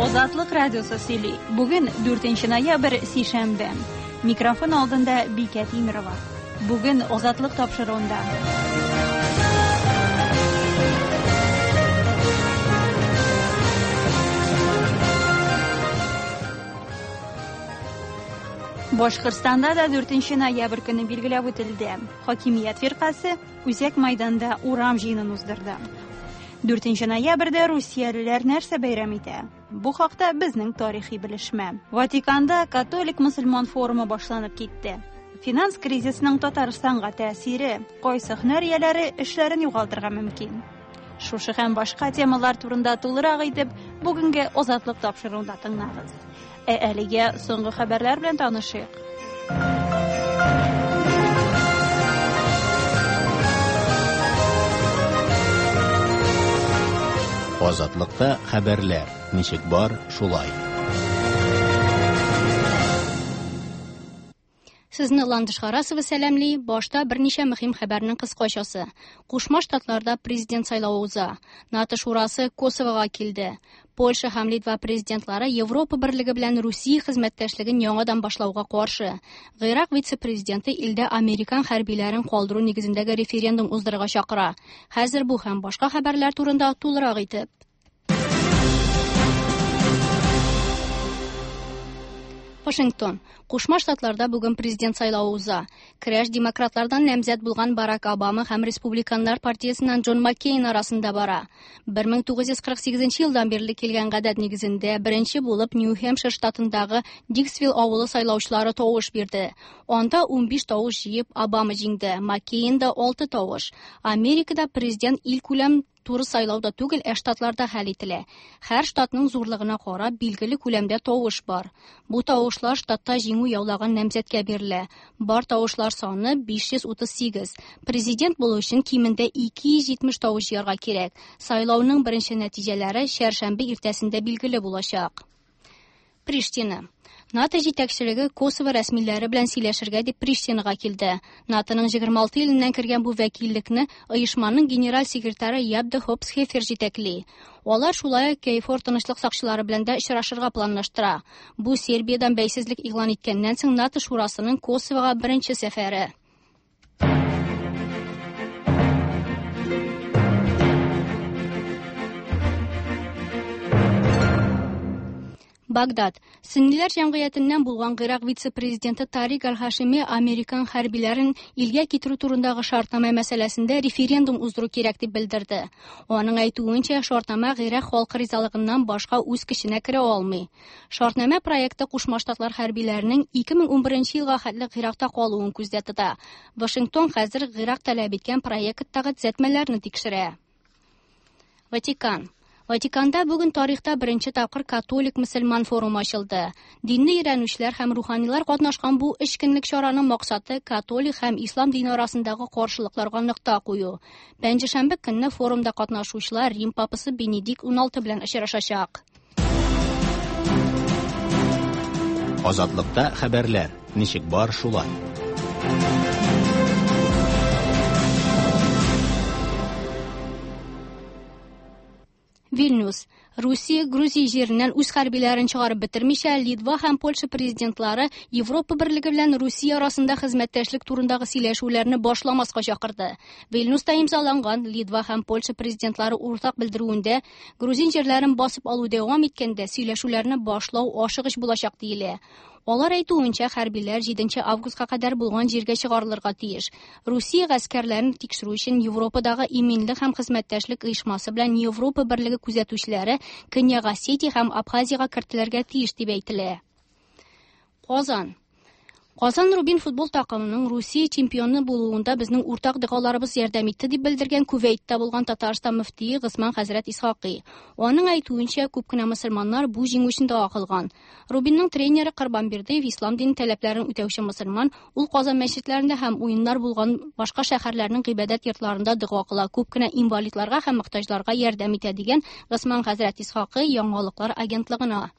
Азатлык радиосы сөйли. Бүген 4 ноябрь, сишәмбе. Микрофон алдында Бикә Тимерова. Бүген Азатлык тапшыруында. Башкортстанда да 4 ноябрь көне билгеләп үтелде. Хакимият фиркасе Үзәк майданда урам җыенын уздырды. 4 ноябрьдә русиялеләр нәрсә бәйрәм итә? Бу хакта безнең тарихи белешмә. Ватиканда католик-мөселман форумы башланып китте. Финанс кризисының Татарстанга тәэсире, кайсы һөнәр ияләре эшләрен югалтырга мөмкин? Шушы һәм башка темалар турында тулырак итеп, бүгенге Азатлык тапшыруында тыңлагыз. Ә әлегә соңгы хәбәрләр белән танышыйк. Азатлыкта хәбәрләр ничек бар, шулай. Сезне Ландыш Харасова сәламли. Башта берничә мөһим хәбәрнең кыскачасы. Кушма Штатларда президент сайлавы уза. НАТО шурасы Косовога килде. Польша һәм Литва президентлары Европа берлеге белән Русия хезмәттәшлеген яңадан башлауга каршы. Гыйрак вице-президенты илдә американ хәрбиләрен калдыру нигезендәге референдум уздырырга чакыра. Хәзер бу һәм башка хәбәрләр турында тулырак итеп. Вашингтон. Кушма Штатларда бүген президент сайлавы уза. Көрәш демократлардан намзәт булган Барак Обама һәм республиканнар партиясеннән Джон Маккейн арасында бара. 1948 елдан бирле килгән гадәт нигезендә беренче булып Нью-Хэмпшир штатындагы Диксвилл авылы сайлаучылары тавыш бирде. Анда 15 тавыш җыеп Обама җиңде, Маккейнда 6 тавыш. Америкада президент илкүләм туры сайлауда түгел, ә штатларда хәл ителә. Һәр штатның зурлыгына карап билгеле күләмдә тавыш бар. Бу тавышлар штатта җиңү яулаган намзәткә бирелә. Бар тавышлар саны 538. Президент булу өчен кимендә 270 тавыш җыярга кирәк. Сайлауның беренче нәтиҗәләре чәршәмбе иртәсендә билгеле булачак. Приштина. НАТО җитәкчелеге Косово рәсмиләре белән сөйләшергә дип Приштинага килде. НАТОның 26 иленнән кергән бу вәкиллекне оешманың генераль секретаре Ябде Хопсхефер җитәкли. Алар шулай ук КФОР тынычлык сакчылары белән дә очрашырга планлаштыра. Бу Сербиядән бәйсезлек игълан иткәннән соң НАТО шурасының Косовога беренче сәфәре. Багдад. Сөнниләр җәмгыятеннән булган Гыйрак вице-президенты Тарик Аль-Хашими американ хәрбиләрен илгә китерү турындагы шартнамә мәсьәләсендә референдум уздыру кирәк дип белдерде. Аның әйтүенчә, шартнамә Гыйрак халкы ризалыгыннан башка үз көченә керә алмый. Шартнамә проекты Кушма Штатлар хәрбиләренең 2011 елга хәтле Гыйракта калуын күздә тота. Вашингтон хәзер Гыйрак таләп иткән проекттагы төзәтмәләрне тикшерә. Ватикан. Ватиканда бүген тарихта беренче тапкыр католик мөселман форумы ачылды. Динне өйрәнүчеләр һәм руханилар катнашкан бу өч көнлек чараның максаты католик һәм ислам дине арасындагы каршылыкларга нокта кую. Пәнҗешәмбе көнне форумда катнашучылар Рим папасы Бенедикт XVI белән очрашачак. Азатлыкта хәбәрләр ничек бар, шулай. Вильнюс. Русия Грузия җиреннән үз хәрбиләрен чыгарып бетермичә, Литва һәм Польша президентлары Европа берлеге белән Русия арасында хезмәттәшлек турындагы сөйләшүләрне башламаска чакырды. Вильнюста имзаланган Литва һәм Польша президентлары уртак белдерүендә грузин җирләрен басып алу дәвам иткәндә сөйләшүләрне башлау ашыгыч булачак диелә. Алар әйтүенчә, хәрбиләр 7 августка кадәр булган җиргә чыгарылырга тиеш. Русия гаскәрләрен тикшерү өчен Европадагы иминлек һәм хезмәттәшлек оешмасы белән Европа берлеге күзәтүчеләре Көньяк Осетия һәм Абхазиягә кертелергә тиеш дип әйтелә. Казан. Казан Рубин футбол такымының Русия чемпионы булуында безнең уртак догаларыбыз ярдәм итте дип белдергән Кувейтта булган Татарстан мөфтие Госман хәзрәт Исхакый. Аның әйтүенчә, күп кенә мөселманнар бу җиңү өчен дога кылган. Рубинның тренеры Корбан Бердыев ислам дине таләпләрен үтәүче мөселман, ул Казан мәчетләрендә һәм уеннар булган башка шәһәрләрнең гыйбадәт йортларында дога кыла, күп кенә инвалидларга һәм мохтаҗларга ярдәм итә дигән Госман хәзрәт Исхакый яңалыклар агентлыгына.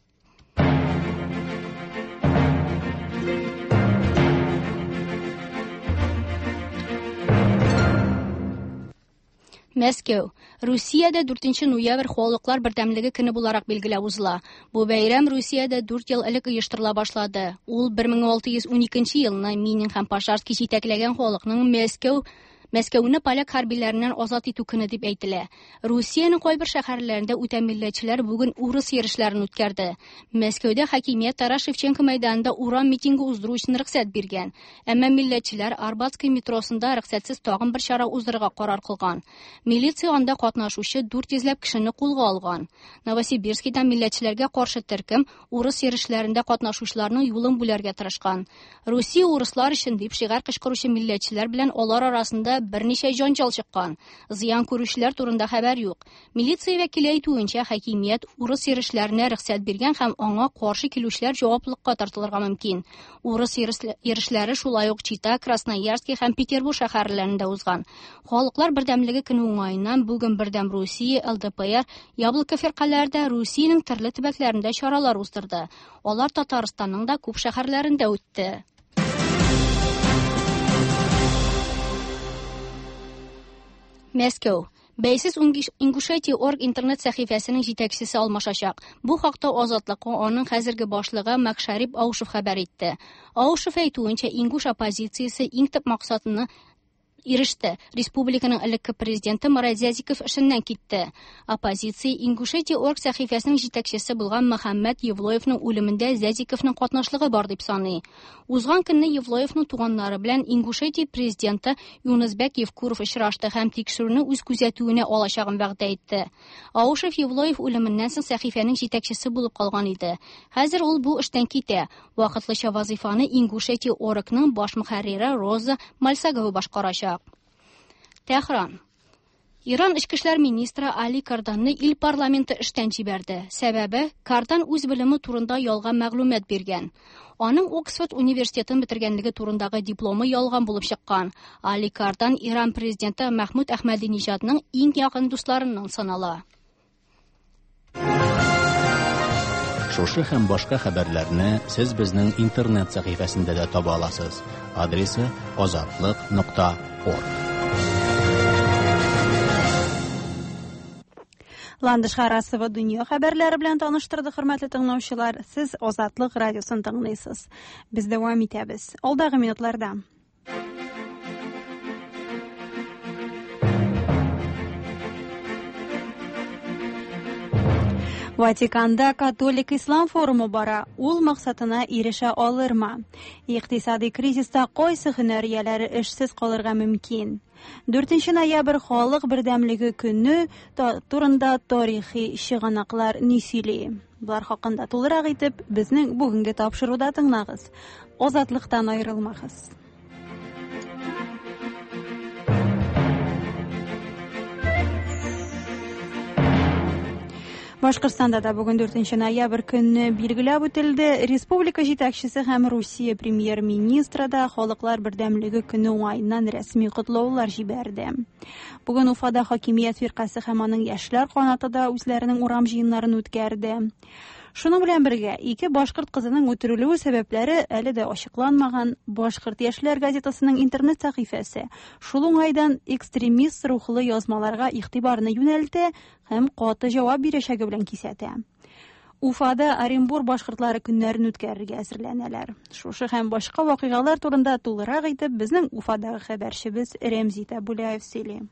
Мәскәү. Русиядә 4 ноябрь халыклар бердәмлеге көне буларак билгеләп узыла. Бу бәйрәм Русиядә 4 ел элек оештырыла башлады. Ул 1612 елны Минин һәм Пожарский җитәкләгән халыкның Мәскәү Мәскәүне поляк хәрбиләреннән азат итү көне дип әйтелә. Русиянең кайбер шәһәрләрендә үтә милләтчеләр бүген урыс йөрешләрен үткәрде. Мәскәүдә хакимият Тарас Шевченко мәйданында урам митингы уздыру өчен рөхсәт биргән. Әмма милләтчеләр Арбатский метросында рөхсәтсез тагын бер чара уздырырга карар кылган. Милиция анда катнашучы 400 ләп кешене кулга алган. Новосибирскида милләтчеләргә каршы төркем урыс йөрешләрендә катнашучыларның юлын бүләргә тырышкан. Русия урыслар өчен дип шигарь кычкыручы милләтчеләр белән алар арасында берничә җанҗал чыккан. Зыян күрүчеләр турында хәбәр юк. Милиция вәкиле әйтүенчә, хакимият урыс йөрешләренә рөхсәт биргән һәм аңа каршы килүчеләр җаваплылыкка тартылырга мөмкин. Урыс йөрешләре шулай ук Чита, Красноярский һәм Петербург шәһәрләрендә узган. Халыклар бердәмлеге көне уңаеннан бүген Бердәм Русия, ЛДПР, Яблоко фиркаләре дә Русиянең төрле төбәкләрендә чаралар уздырды. Алар Татарстанның да күп шәһәрләрендә үтте. Мәскәү. Бәйсез Ингушетия орг интернет сәхифәсенең җитәкчесе алмашачак. Бу хакта Азатлыкка аның хәзерге башлыгы Макшарип Аушев хәбәр итте. Аушев әйтүенчә, ингуш оппозициясе иң төп максатына иреште. Республиканың элекке президенты Марат Зязиков эшеннән китте. Оппозиция Ингушетия орг сәхифәсенең җитәкчесе булган Мөхәммәд Евлоевның үлемендә Зязиковның катнашлыгы бар дип саный. Узган көнне Евлоевның туганнары белән Ингушетия президенты Юнысбәк Евкуров очрашты һәм тикшерүне үз күзәтүенә алачагын вәгъдә итте. Аушев Евлоев үлеменнән соң сәхифәнең җитәкчесе булып калган иде. Хәзер ул бу эштән китә. Вакытлыча вазифаны Ингушетия оргның баш мөхәррире Роза Мальсагова башкарачак. Тәһран. Иран эчке эшләр министры Али Карданны ил парламенты эштән җибәрде. Сәбәбе Кардан үз белеме турында ялган мәгълүмат биргән. Аның Оксфорд университетын бетергәнлеге турындагы дипломы ялган булып чыккан. Али Кардан Иран президенты Мәхмүд Әхмәдиниҗадның иң якын дусларыннан санала. Шушы һәм башка хәбәрләрне сез безнең интернет сәхифәсендә дә таба аласыз. Адресы azatliq.org. Ландыш Харасова дөнья хәбәрләре белән таныштырды, хөрмәтле тыңлаучылар. Сез Азатлык радиосын тыңлыйсыз. Без дәвам итәбез. Алдагы минутларда. Ватиканда католик ислам форумы бара. Ул максатына ирешә алырмы? Икътисади кризиста кайсы һөнәр ияләре эшсез калырга мөмкин? 4 ноябрь халык бердәмлеге көне турында тарихи чыганаклар ни сөйли? Болар хакында тулырак итеп безнең бүгенге тапшыруда тыңлагыз. Азатлыктан аерылмагыз. Башкортстанда да бүген 4 ноябрь көнне билгеләп үтелде. Республика җитәкчесе һәм Русия премьер-министры да халыклар бердәмлеге көне уңаеннан рәсми котлаулар җибәрде. Бүген Уфада хакимият фиркасе һәм аның яшьләр канаты да үзләренең урам җыеннарын үткәрде. Шуның белән бергә ике башкорт кызының үтерелүе сәбәпләре әле дә ачыкланмаган. Башкорт яшьләр газетасының интернет сәхифәсе шул уңайдан экстремист рухлы язмаларга игътибарны юнәлтә һәм каты җавап бирәчәге белән кисәтә. Уфада Оренбур башкортлары көннәрен үткәрергә әзерләнәләр. Шушы һәм башка вакыйгалар турында тулырак итеп безнең Уфадагы хәбәрчебез Рәмзи Табуляев сөйли.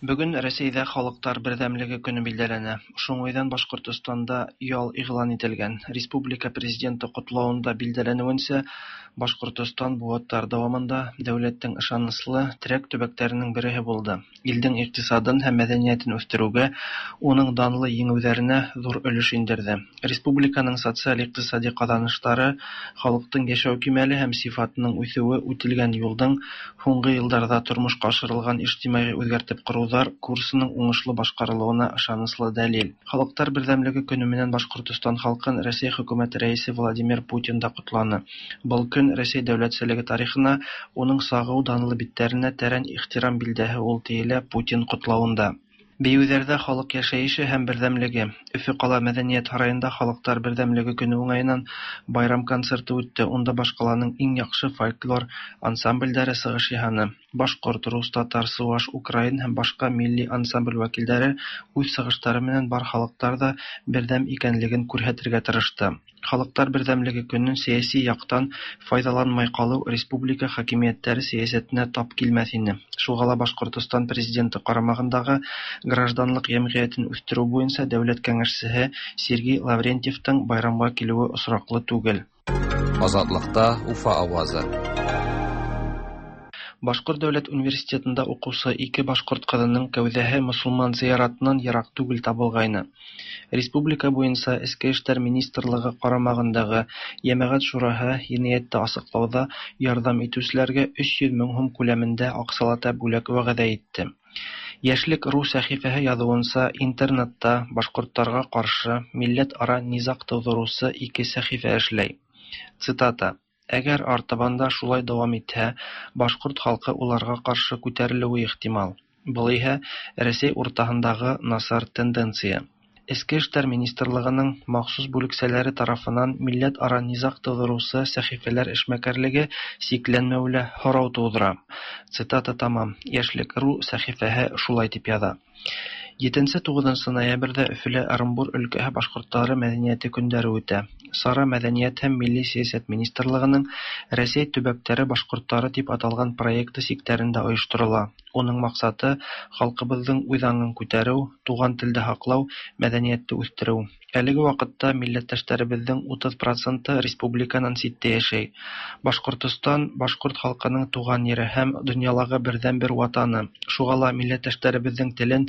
Бүген Рәсәйдә халыклар бердәмлеге көне билгеләнә. Шуңайдан Башкортстанда ял игълан ителгән. Республика президенты котлавында билгеләнүенчә, Башкортстан бу вакытлар дәвамында дәүләтнең ышанычлы терәк төбәкләренең береһе булды. Илдең икътисадын һәм мәдәниятен үстерүгә, уның данлы еңүләренә зур өлеш индерде. Республиканың социаль-икътисади казанышлары, халыктың яшәү кимәле һәм сифатының үсүе үтелгән юлдың һуңгы елларда тормышка ашырылган иҗтимагый үзгәртеп корыуҙар курсының уңышлы башҡарылыуына ышаныслы дәлил. Халыҡтар берҙәмлеге көнө менән Башҡортостан халҡын Рәсәй хөкүмәте рәйесе Владимир Путин да ҡотланы. Был көн Рәсәй дәүләтселеге тарихына, уның сағыу данлы биттәренә тәрән ихтирам билдәһе ул, тиелә Путин ҡотлауында. Биюләрдә халык яшәеше һәм бердәмлеге. Өфө кала мәдәният һараенда Халыклар бердәмлеге көне уңаеннан байрам концерты үтте. Унда башкаланың иң яхшы фольклор ансамбльләре сыгыш яһаны. Башкорт, рус, татар, суваш, украин һәм башка милли ансамбль вәкилләре үз сыгышлары менән бар халыклар да бердәм икәнлеген күрһәтергә тырышты. Халыклар бердәмлеге көнен сәяси яктан файдаланмай калу республика хакимиятләре сәясәтенә тап килмәҫ ине. Шуға ла Башҡортостан президенты ҡарамағындағы гражданлыҡ йәмғиәтен үҫтереү буйынса дәүләт кәңәшсеһе Сергей Лаврентьевтың байрамға килеүе осраҡлы түгел. Азатлыкта Уфа авазы. Башҡорт дәүләт университетында уҡыусы ике башҡорт ҡыҙының кәүҙәһе мосолман зыяратынан йыраҡ түгел табылғайны. Республика буйынса Эске эштәр министрлығы ҡарамағындағы Йәмәғәт шураһы енәйәтте асыҡлауҙа ярҙам итеүселәргә 300 мең һум күләмендә аҡсалата бүләк вәғәҙә итте. Йәшлек.ру сәхифәһе яҙыуынса, интернетта башҡорттарға ҡаршы милләт-ара низаҡ тыуҙырыусы ике сәхифә эшләй. Цитата: Әгәр артабан да шулай дауам итһә, башҡорт халҡы уларға ҡаршы күтәрелеүе ихтимал. Был иһә Рәсәй уртаһындағы насар тенденция. Эске эштәр министрлығының махсус бүлексәләре тарафынан милләт-ара низаҡ тыуҙырыусы сәхифәләр эшмәкәрлеге сикләнмәүе лә һорау тыуҙыра. Цитата тамам. Йәшлек.ру сәхифәһе шулай тип яҙа. 7-9 ноябрҙә Өфөлә Ырымбур өлкәһе башҡорттары мәҙәниәте көндәре үтә. Сара Мәҙәниәт һәм милли сәйәсәт министрлығының Рәсәй төбәктәре башҡорттары тип аталған проекты сиктәрендә ойошторола. Уның маҡсаты халҡыбыҙҙың үҙ аңын күтәреү, туған телде һаҡлау, мәҙәниәтте үҫтереү. Әлеге ваҡытта милләттәштәребеҙҙең 30% республиканан ситтә йәшәй. Башҡортостан башҡорт халҡының туған ере һәм донъялағы берҙән-бер ватаны. Шуға ла милләттәштәребеҙҙең телен,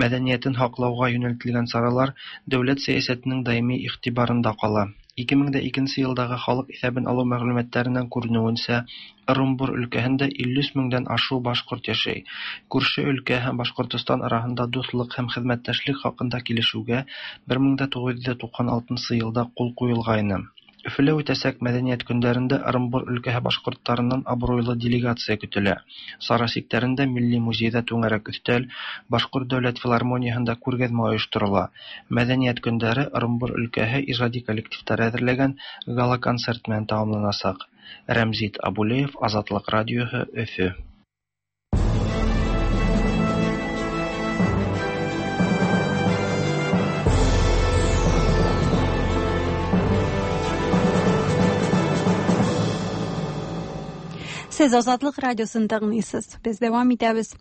мәҙәниәтен һаҡлауға йүнәлтелгән саралар дәүләт сәйәсәтенең даими иғтибарында ҡала. 2002 йылдағы халыҡ иҫәбен алыу мәғлүмәттәренән күренеүенсә, Ырымбур өлкәһендә 53 меңдән ашыу башҡорт йәшәй. Күрше өлкә һәм Башҡортостан араһында дуҫлыҡ һәм хеҙмәттәшлек хаҡында килешеүгә 1996 йылда ҡул ҡуйылғайны. Өфөлә үтәсәк мәҙәниәт көндәрендә Ырымбур өлкәһе башҡорттарынан абруйлы делегация көтөлә. Сара сиктәрендә Милли музейҙа түңәрәк өҫтәл, Башҡорт дәүләт филармонияһында күргәҙмә ойошторола. Мәҙәниәт көндәре Ырымбур өлкәһе ижади коллективтары әҙерләгән гала-концерт менән тамамланасаҡ. Рәмзит Абулеев, Азатлыҡ радиоһы, Өфө. Сез Азатлык радиосын тыңлыйсыз. Без дәвам итәбез.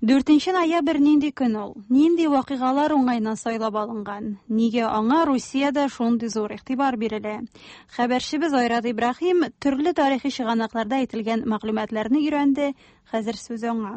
4 ноябрь нинди көн ул? Нинди вакыйгалар уңайыннан сайлап алынган? Нигә аңа Русиядә шундый зур игътибар бирелә? Хәбәрчебез Айрат Ибраһим төрле тарихи чыганакларда әйтелгән мәгълүматларны өйрәнде. Хәзер сүз аңа.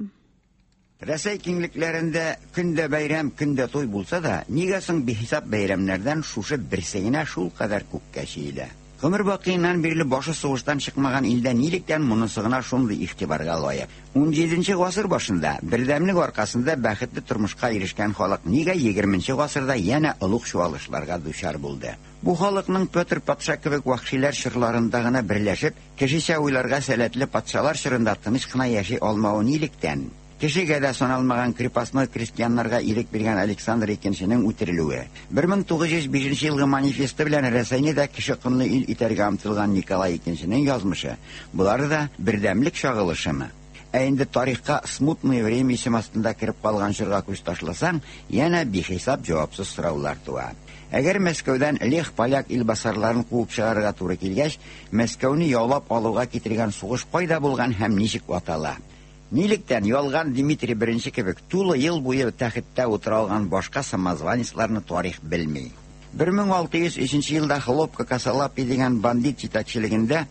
Рәсәй киңлекләрендә көндә бәйрәм, көндә туй булса да, нигә соң бихисап бәйрәмнәрдән шушы берсе генә шул кадәр күккә чөелә? Гомер бакыйыннан бирле башы сугыштан чыкмаган илдә нилектән монысы гына шундый игътибарга лаек? 17 гасыр башында бердәмлек аркасында бәхетле тормышка ирешкән халык нигә 20 гасырда янә олуг чуалышларга дучар булды? Бу халыкның Петр патша кебек вәхшиләр чорларында гына берләшеп, кешечә уйларга сәләтле патшалар чорында тыныч кына яши алмавы нилектән? Кешегә дә саналмаган крепостной крестьяннарга ирек биргән Александр II-нең үтерелүе, 1905 елгы манифесты белән Рәсәйне дә кеше кынлы ил итәргә омтылган Николай II-нең язмышы, болары да бердәмлек чагылышымы? Ә инде тарихка смутное время исем астында кереп калган чорга күз ташласаң, янә бихисап җавапсыз сораулар туа. Әгәр Мәскәүдән лех поляк илбасарларын куып чыгарырга туры килгәч, Мәскәүне яулап алуга китергән сугыш кайда булган һәм ничек атала? Нилектән ялган Дмитрий I кебек тулы ел буе тәхеттә утыра алган башка самозванецларны тарих белми. 1603 елда Хлопка Косолапый дигән бандит җитәкчелегендә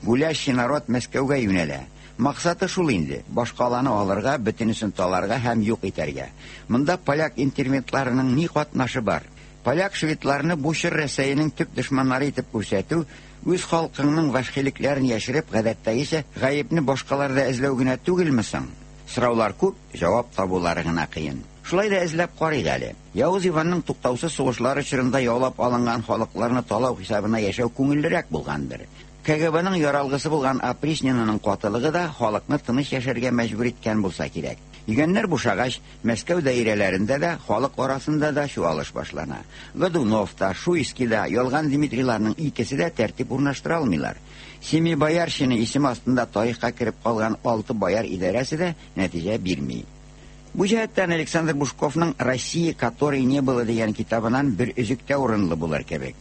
гулящий народ Мәскәүгә юнәлә. Максаты шул инде: башкаланы алырга, бөтенесен таларга һәм юк итәргә. Монда поляк интервентларының ни катнашы бар? Поляк шведларны бу чор Рәсәйнең төп дошманнары итеп күрсәтү, үз халкыңның вәхшилекләрен яшереп, гадәттәгечә гаепне башкаларда эзләү генә түгелме соң? Сораулар күп, җавап табулары гына кыен. Шулай да эзләп карыйк әле. Явыз Иванның туктаусыз сугышлары чорында яулап алынган халыкларны талау хисабына яшәү күңеллерәк булгандыр. КГБның яралгысы булган опричнинаның катылыгы да халыкны тыныч яшәргә мәҗбүр иткән булса кирәк. Йөгәннәр бушагач, Мәскәү даирәләрендә дә, халык арасында да чуалыш башлана. Годунов та, Шуйский да, Ялган Дмитрийларның икесе дә тәртип урнаштыра алмыйлар. Семибоярщина исеме астында тарихка кереп калган алты бояр идарәсе дә нәтиҗә бирми. Бу җәһәттән Александр Бушковның «Россия, которой не было» дигән китабыннан бер өзек тә урынлы булыр кебек.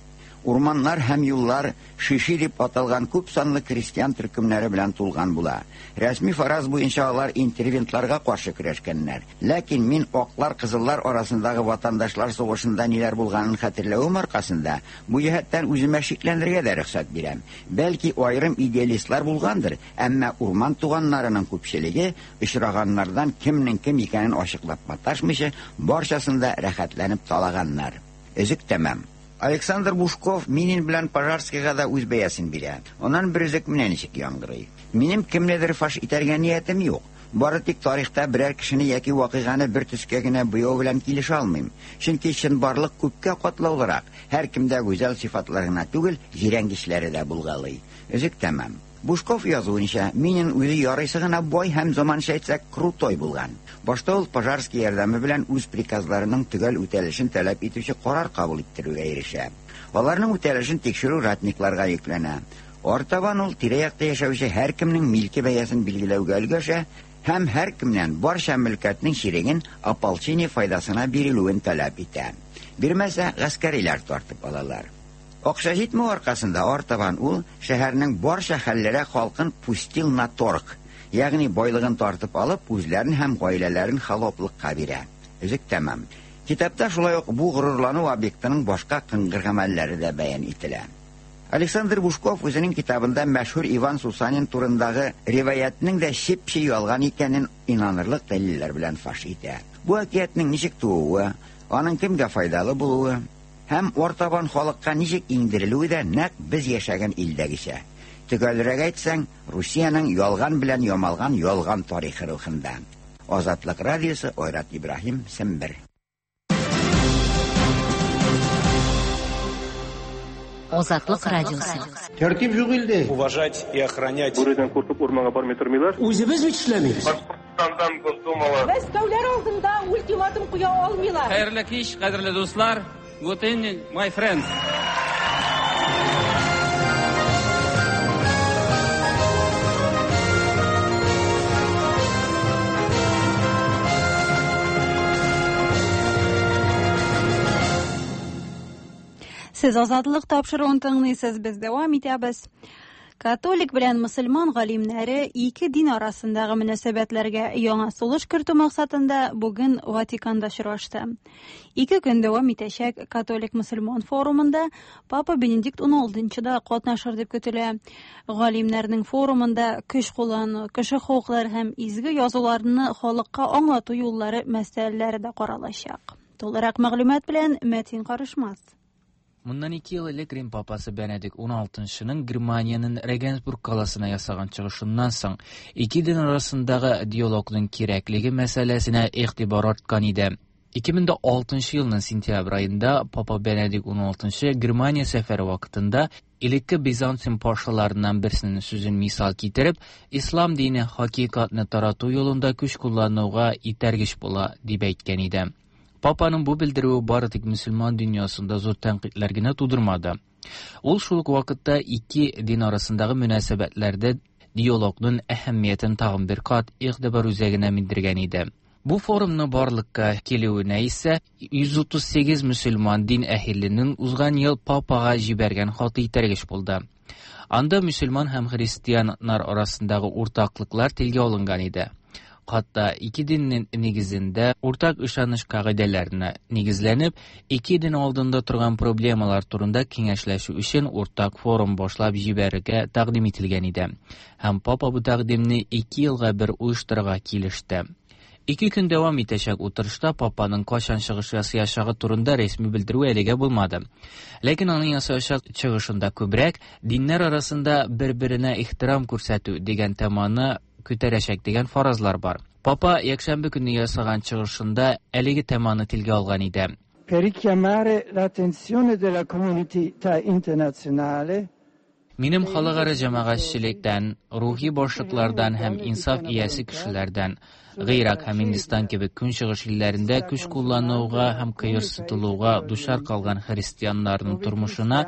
Урманнар һәм юллар шиши дип аталган күп санлы крестьян төркемнәре белән тулган була. Рәсми фараз буенча алар интервентларга каршы көрәшкәннәр. Ләкин мин аклар кызыллар арасындагы ватандашлар сугышында ниләр булганын хәтерләвем аркасында бу җәһәттән үземә шикләнергә дә рөхсәт бирәм. Бәлки аерым идеалистлар булгандыр, әмма урман туганнарының күпчелеге очраганнардан кемнең кем икәнен ачыклап маташмыйча, барчасын да рәхәтләнеп талаганнар. Өзек тәмам. Александр Бушков Минин белән Пожарскийга да үз бәясен бирә. Аннан бер өзек менә ничек яңгырый. Минем кемнедер фаш итәргә ниятем юк. Бары тик тарихта берәр кешене яки вакыйганы бер төскә генә буяу белән килешә алмыйм. Чөнки чынбарлык күпкә катлаулырак. Һәркемдә гүзәл сыйфатлар гына түгел, җирәнгечләре дә булгалый. Өзек тәмам. Бушков язуынча, Минин үзе ярыйсы гына бай һәм заманча әйтсәк, крутой булган. Башта ул Пожарский ярдәме белән үз приказларының төгәл үтәлешен таләп итүче карар кабул иттерүгә ирешә. Аларның үтәлешен тикшерү ратникларга йөкләнә. Артабан ул тирә-якта яшәүче һәркемнең милке бәясен билгеләүгә өлгәшә һәм һәркемнән барча мөлкәтнең чиреген ополчение файдасына бирелүен таләп итә. Бирмәсә, гаскәриләр тартып алалар. Акча җитмәү аркасында артабан ул шәһәрнең барча хәллерәк халкын пустил на торг, ягъни байлыгын тартып алып, үзләрен һәм гаиләләрен холоплыкка бирә. Өзек тәмам. Китапта шулай ук бу горурлану объектының башка кыңгыр гамәлләре дә бәян ителә. Александр Бушков үзенең китабында мәшһүр Иван Сусанин турындагы риваятның да чеп-чи ялган икәнен инанырлык дәлилләр белән фаш итә. Бу әкиятнең ничек тууы, аның кемгә файдалы булуы һәм артабан халыкка ничек иңдерелүе дә нәкъ без яшәгән илдәгечә. Төгәлрәк әйтсәң, Русиянең ялган белән ямалган ялган тарихы рухында. Азатлык радиосы, Айрат Ибраһим, Сембер. Азатлык радиосы. Тәртип юк илдә. Уважать и охранять. Бүредән куркып урманга бармый тормыйлар. Үзебез бит эшләмибез. Башкортстандан Госдумалы. Мәскәүләр алдында ультиматум куя алмыйлар. Хәерле кич, кадерле дуслар. Good evening, my friends. Сез Азатлык тапшыруын тыңлыйсыз, без дәвам итәбез. Католик белән мөселман галимнәре ике дин арасындагы мөнәсәбәтләргә яңа сулыш кертү максатында бүген Ватиканда очрашты. Ике көн дәвам итәчәк католик-мөселман форумында Папа Бенедикт XVI да катнашыр дип көтелә. Галимнәрнең форумында көч куллану, кеше хокуклары һәм изге язуларны халыкка аңлату юллары мәсьәләләре дә каралачак. Тулырак мәгълүмат белән Мәтин Карышмас. Mundan 2 yıl элек Рим папасы Бенедикт XVI-ның Германиянең Регенсбург каласына ясаган чыгышыннан соң ике дин арасындагы диалогның кирәклеге мәсьәләсенә игътибар арткан иде. 2006 елның сентябрь аенда Папа Бенедикт XVI Германия сәфәре вакытында элекке Византия пашаларыннан берсенең сүзен мисал китереп, ислам дине хакыйкатьне тарату юлында көч куллануга этәргеч була дип әйткән иде. Папаның бу белдерүе бары тик мөселман дөньясында зур тәнкыйтьләр генә тудырмады. Ул шул ук вакытта ике дин арасындагы мөнәсәбәтләрдә диалогның әһәмиятен тагын бер кат игътибар үзәгенә мендергән иде. Бу форумны барлыкка килүенә исә 138 мөселман дин әһеленең узган ел папага җибәргән хаты этәргеч булды. Анда мөселман һәм христианнар арасындагы уртаклыклар телгә алынган иде. Хатта ике диннең нигезендә уртак ышаныч кагыйдәләренә нигезләнеп, ике дин алдында торган проблемалар турында киңәшләшү өчен уртак форум башлап җибәрергә тәкъдим ителгән иде. Һәм папа бу тәкъдимне 2 елга бер оештырырга килеште. 2 көн дәвам итәчәк утырышта папаның кайчан чыгыш ясаячагы турында рәсми белдерү әлегә булмады. Ләкин аның ясаячак чыгышында күбрәк диннәр арасында бер-беренә ихтирам күрсәтү дигән теманы күтәрәчәк дигән фаразлар бар. Папа якшәмбе көнне ясаган чыгышында әлеге теманы телгә алган иде. Per richiamare l'attenzione della comunità internazionale Минем халыкара җәмәгатьчелектән, рухи башлыклардан һәм инсаф иясе кешеләрдән Гыйрак һәм Һиндстан кебек көнчыгыш илләрендә көч куллануга һәм кыерсытылуга дучар калган христианнарның тормышына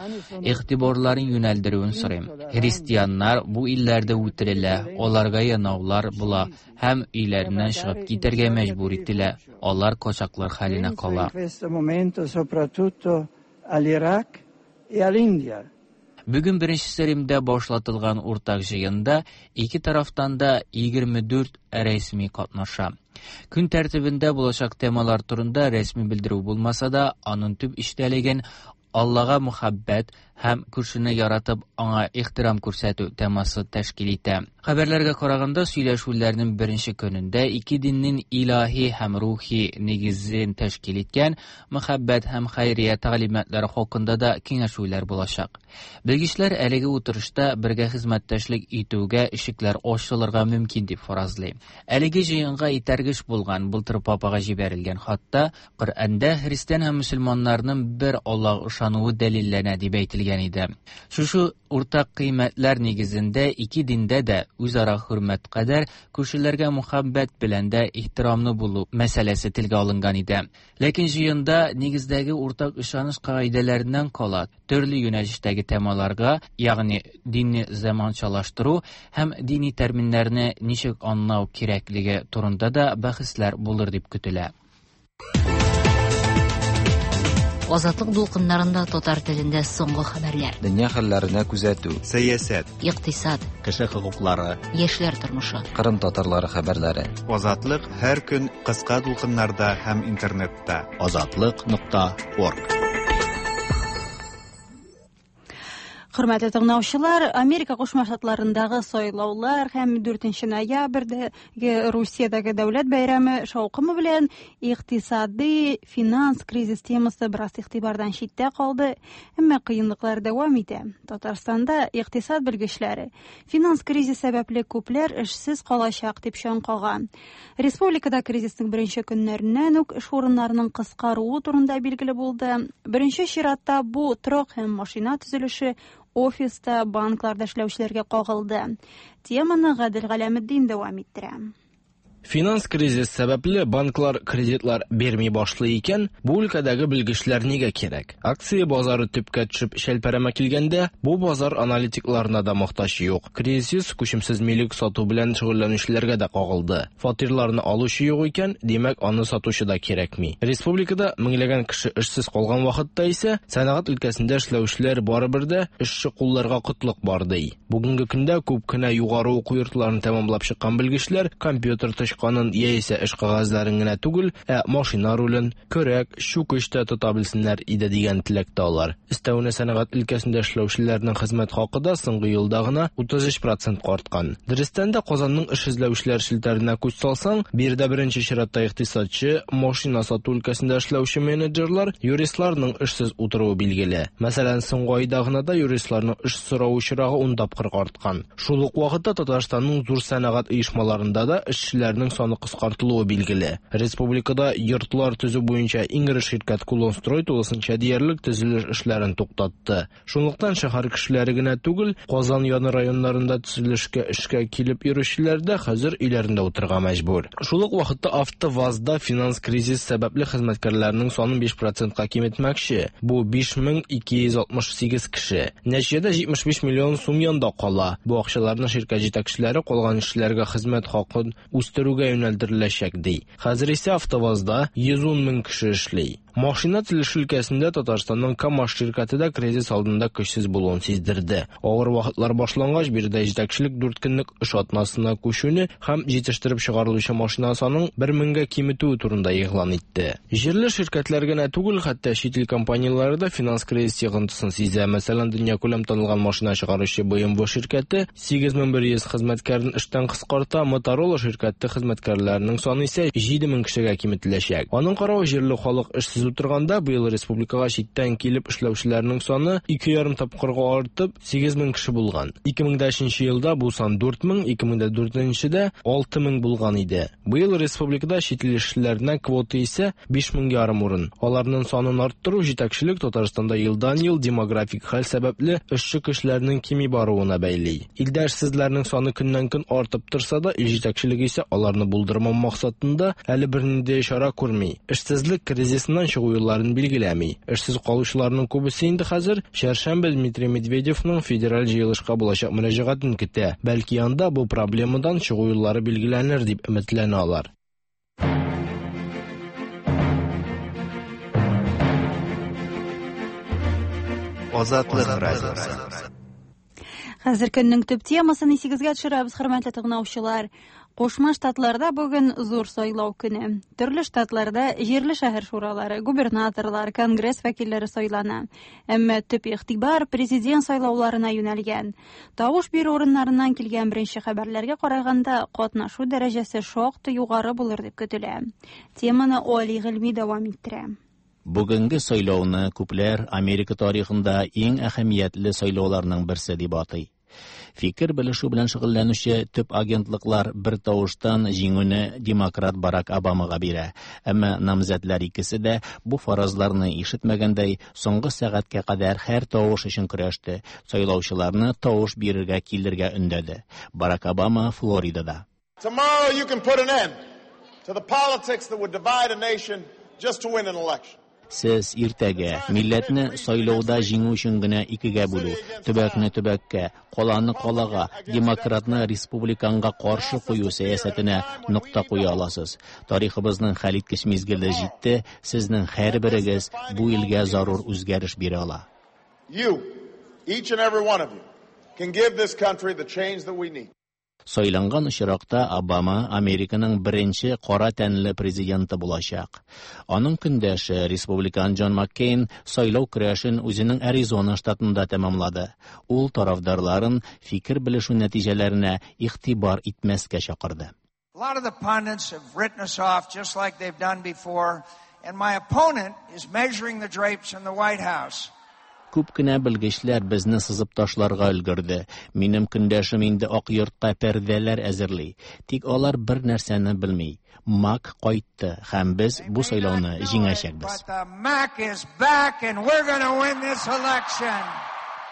игътибарларын юнәлдерүен сорыйм. Христианнар бу илләрдә үтерелә, аларга янаулар була һәм өйләреннән чыгып китәргә мәҗбүр ителә. Алар качаклар хәленә кала. E Бүген беренчесе Римдә башлатылган уртак җыенда ике тарафтан да 24 рәсми катнаша. Көн тәртибендә булачак темалар турында рәсми белдерү булмаса да, аның төп эчтәлеген Аллага мөхәббәт һәм күршене яратып аңа ихтирам күрсәтү темасы тәшкил итә. Хәбәрләргә караганда, сөйләшүләрнең беренче көнендә ике диннең илаһи һәм рухи нигезен тәшкил иткән мөхәббәт һәм хәйрия тәгълиматлары хакында да киңәшүләр булачак. Белгечләр әлеге утырышта бергә хезмәттәшлек итүгә ишекләр ачылырга мөмкин дип фаразлый. Әлеге җыенга этәргеч булган былтыр папага җибәрелгән хатта Коръәндә христиан һәм мөселманнарның бер Аллаһ ышануы дәлилләнә дип әйтелгән иде. Шушы уртак кыйммәтләр нигезендә ике диндә дә үзара хөрмәт кадәр күршеләргә мөхәббәт белән дә ихтирамлы булу мәсьәләсе телгә алынган иде. Ләкин җыенда нигездәге уртак ышаныч кагыйдәләреннән кала төрле юнәлештәге темаларга, ягъни динне заманчалаштыру һәм дини терминнәрне ничек аңлау кирәклеге турында да бәхәсләр булыр дип көтелә. Азатлык дулкыннарында татар телендә соңгы хәбәрләр. Дөнья хәлләренә күзәтү. Сәясәт. Икътисад. Кеше хокуклары. Яшьләр тормышы. Кырым татарлары хәбәрләре. Азатлык һәр көн кыска дулкыннарда һәм интернетта. Азатлык.орг. Хөрмәтле тыңлаучылар, Америка Кушма Штатларындагы сайлаулар һәм 4 ноябрьдәге Русиядәге дәүләт бәйрәме шаукымы белән икътисади финанс кризис темасы бераз игътибардан читтә калды, әмма кыенлыклар дәвам итә. Татарстанда икътисад белгечләре финанс кризис сәбәпле күпләр эшсез калачак дип чаң кага. Республикада кризисның беренче көннәреннән үк эш урыннарының кыскаруы турында билгеле булды. Беренче чиратта бу торак һәм машина төзелеше, офиста, банкларда эшләүчеләргә кагылды. Теманы Гадел Галәметдин дәвам иттерә. Финанс кризис сәбәпле банклар кредитлар бирми башлый икән, бу өлкәдәге белгечләр нигә кирәк? Акция базары төпкә төшеп шәлпәрәмә килгәндә, бу базар аналитикларына да мохтаҗ юк. Кризис күчемсез милек сату белән шөгыльләнүчеләргә дә кагылды. Фатирларны алучы юк икән, димәк, аны сатучы да кирәкми. Республикада меңләгән кеше эшсез калган вакытта исә, сәнәгать өлкәсендә эшләүчеләр барыбер дә эшче кулларга кытлык бар ди. Бүгенге көндә күп кенә югары уку йортларын тәмамлап чыккан белгечләр компьютер тычканын яисә эш кәгазьләрен генә түгел, ә машина рулен, көрәк, чүкеч тә тота белсеннәр иде дигән теләктә алар. Өстәвенә сәнәгать өлкәсендә эшләүчеләрнең хезмәт хакы да соңгы елда гына 33% арткан. Дөрестән дә Казанның эш эзләүчеләр челтәренә күз салсаң, биредә беренче чиратта икътисадчы, машина сату өлкәсендә эшләүче менеджерлар, юристларның эшсез утыруы билгеле. Мәсәлән, соңгы айда гына да юристларның эш сорау очрагы 10 тапкыр арткан. Шул ук вакытта Татарстанның зур сәнәгать оешмаларында да эшчеләрнең саны кыскартылуы билгеле. Республикада йортлар төзү буенча иң эре ширкәт Кулонстрой тулысынча диярлек төзелеш эшләрен туктатты. Шунлыктан шәһәр кешеләре генә түгел, Казан яны районнарында төзелешкә эшкә килеп йөрүчеләр дә хәзер өйләрендә утырырга мәҗбүр. Шул ук вакытта АвтоВАЗда финанс кризис сәбәпле хезмәткәрләрнең санын 5%-ка киметмәкче. Бу 5268 кеше. Нәтиҗәдә 75 миллион сум янда кала. Бу акчаларны ширкәт җитәкчеләре калган эшчеләргә хезмәт хакын үстерүгә юнәлдереләчәк ди. Хәзер исә АвтоВАЗда 110 мең кеше эшли. Машина төзелеше өлкәсендә Татарстанның КАМАЗ ширкәте дә кризис алдында көчсез булуын сиздерде. Авыр вакытлар башлангач, биредә җитәкчелек 4 көнлек эш атнасына күчүне һәм җитештереп чыгарылучы машина санын 1000гә киметүе турында игълан итте. Җирле ширкәтләр генә түгел, хәтта чит ил компанияләре дә финанс кризис йогынтысын сизә. Мәсәлән, дөньякүләм танылган машина чыгаручы BMW ширкәте 8100 хезмәткәрен эштән кыскарта, Motorola ширкәте хезмәткәрләренең саны исә 7000 кешегә киметеләчәк. Аның каравы җирле халык эшсез утырганда, быел республикага читтән килеп эшләүчеләрнең саны 2,5 тапкырга артып, 8000 кеше булган. 2003 елда бу сан 4000, 2004-дә 6000 булган иде. Быел республикада чит ил эшчеләренә квота исә 5500 урын. Аларның санын арттыру җитәкчелек Татарстанда елдан-ел демографик хәл сәбәпле эшче көчләрнең кими баруына бәйли. Илдә эшсезләрнең саны көннән-көн артып торса да, ил җитәкчелеге исә аларны булдырмау максатында әле бернинди чара күрми. Эшсезлек кризисыннан чыгу юлларын билгеләми. Эшсез калучыларның күбесе инде хәзер чәршәмбе Дмитрий Медведевның федераль җыелышка булачак мөрәҗәгатен көтә. Бәлки анда бу проблемадан чыгу юллары билгеләнер дип өметләнә алар. Азатлык радиосы. Хәзер көннең төп темасын исегезгә төшерәбез, хөрмәтле тыңлаучылар. Кушма Штатларда бүген зур сайлау көне. Төрле штатларда җирле шәһәр шуралары, губернаторлар, конгресс вәкилләре сайлана. Әмма төп игътибар президент сайлауларына юнәлгән. Тавыш бирү урыннарыннан килгән беренче хәбәрләргә караганда, катнашу дәрәҗәсе шактый югары булыр дип көтелә. Теманы Али Гыйльми дәвам иттерә. Бүгенге сайлауны күпләр Америка тарихында иң әһәмиятле сайлауларның берсе дип атый. Фикер белешү белән шөгыльләнүче төп агентлыклар бер тавыштан җиңүне демократ Барак Обамага бирә. Әмма намзәтләр икесе дә бу фаразларны ишетмәгәндәй, соңгы сәгатькә кадәр һәр тавыш өчен көрәште, сайлаучыларны тавыш бирергә килергә өндәде. Барак Обама Флоридада. Tomorrow you can put an end to the politics that would divide a nation just to win an election. Сез иртәгә милләтне сайлауда җиңү өчен генә икегә бүлү, төбәкне төбәккә, каланы калага, демократны республиканга каршы кую сәясәтенә нокта куя аласыз. Тарихыбызның хәлиткеч мизгеле җитте, сезнең һәрберегез бу илгә зарур үзгәреш бирә ала. You, each and every one of you, can give this country the change that we need. Сайланган очракта Обама Американың беренче кара тәнле президенты булачак. Аның көндәше республикан Джон Маккейн сайлау көрәшен үзенең Аризона штатында тәмамлады. Ул тарафдарларын фикер белешү нәтиҗәләренә игътибар итмәскә чакырды. A lot of the pundits have written us off just like they've done before, and my opponent is measuring the drapes in the White House. Күп кенә белгечләр безне сызып ташларга өлгерде. Минем көндәшем инде Ак йортка пәрдәләр әзерли. Тик алар бер нәрсәне белми. Мак кайтты һәм без бу сайлауны җиңәчәкбез. But the Mac is back, and we're going to win this election.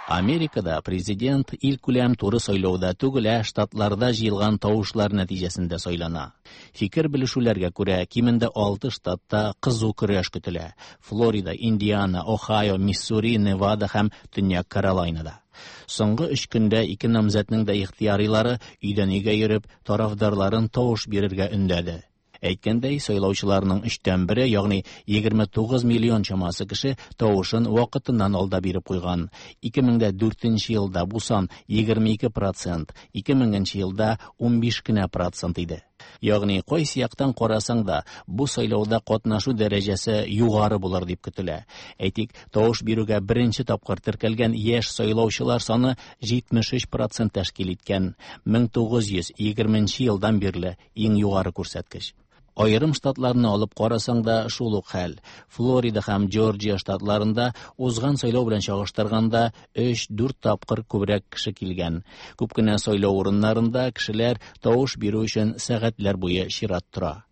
Америкада президент илкүләм туры сайлауда түгел, ә штатларда җыелган тавышлар нәтиҗәсендә сайлана. Фикер белешүләргә күрә, кимендә 6 штатта кызу көрәш көтелә. Флорида, Индиана, Ohio, Миссури, Невада һәм Төньяк Каролайнада. Соңгы 3 көндә ике намзәтнең дә ихтыярилары өйдән өйгә йөреп, тарафдарларын тавыш бирергә өндәде. Әйткәндәй, сайлаучыларның 1/3, ягъни 29 миллион чамасы кеше тавышын вакытыннан алда биреп куйган. 2004 елда бу сан 22%, 2000 елда 15 кенә процент иде. Ягъни кайсы яктан карасаң да, бу сайлауда катнашу дәрәҗәсе югары булыр дип көтелә. Әйтик, тавыш бирүгә беренче тапкыр теркәлгән яшь сайлаучылар саны 73% тәшкил иткән. 1920 елдан бирле иң югары күрсәткеч. Аерым штатларны алып карасаң да шул ук хәл. Флорида һәм Джорджия штатларында узган сайлау белән чагыштырганда 3-4 тапкыр күбрәк кеше килгән. Күп кенә сайлау урыннарында кешеләр тавыш бирү өчен сәгатьләр буе чират тора.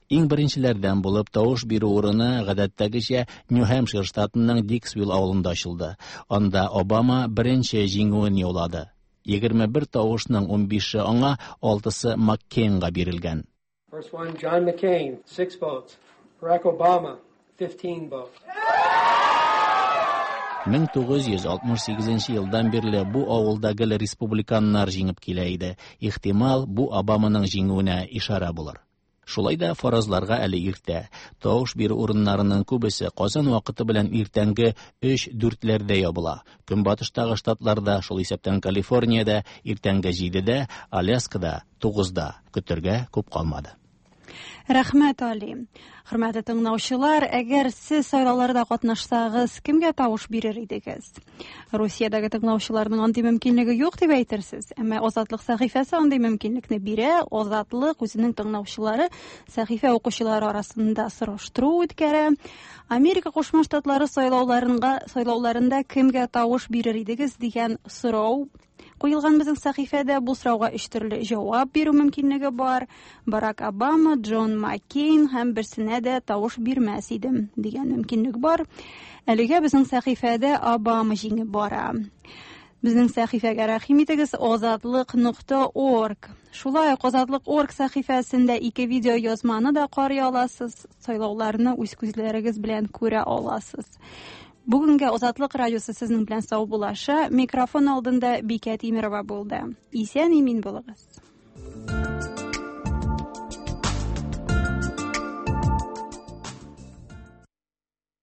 Иң беренчеләрдән булып тавыш бирү урыны гадәттәгечә Нью-Хэмпшир штатының Диксвилл авылында ачылды. Анда Обама беренче җиңүен яулады. 21 тавышның 15-е аңа, 6-сы Маккейнга бирелгән. First one, John McCain, 6 votes. Barack Obama, 15 votes. 1968 елдан бирле бу авылда гел республиканнар җиңеп килә иде. Ихтимал, бу Обаманың җиңүенә ишарә булыр. Шулай да фаразларга әле иртә. Тавыш бирү урыннарының күбесе Казан вакыты белән иртәнге 3-4-ләрдә ябыла. Көнбатыштагы штатларда, шул исәптән Калифорниядә иртәнге 7-дә, Аляскада 9-да. Көтәргә күп калмады. Рәхмәт, Али. Хөрмәтле тыңлаучылар, әгәр сез сайлауларда катнашсагыз, кемгә тавыш бирер идегез? Русиядәге тыңлаучыларның андый мөмкинлеге юк дип әйтерсез, әмма Азатлык сәхифәсе андый мөмкинлекне бирә. Азатлык үзенең тыңлаучылары, сәхифә укучылары арасында сораштыру үткәрә. Америка Кушма Штатлары сайлауларында сайлауларында кемгә тавыш бирер идегез дигән сорау куелган безнең сәхифәдә. Бу сорауга өч төрле җавап бирү мөмкинлеге бар. Барак Обама, Джон Маккейн һәм берсенә дә тавыш бирмәс идем дигән мөмкинлек бар. Әлегә безнең сәхифәдә Обама җиңеп бара. Безнең сәхифәгә рәхим итегез озатлык.орг. Шулай ук озатлык.орг сәхифәсендә ике видео язманы да карый аласыз, сайлауларны үз күзләрегез белән күрә аласыз. Бүгенгә Озатлык радиосы сезнең белән саубуллаша. Микрофон алдында Бикә Тимирова булды. Исән имин булыгыз.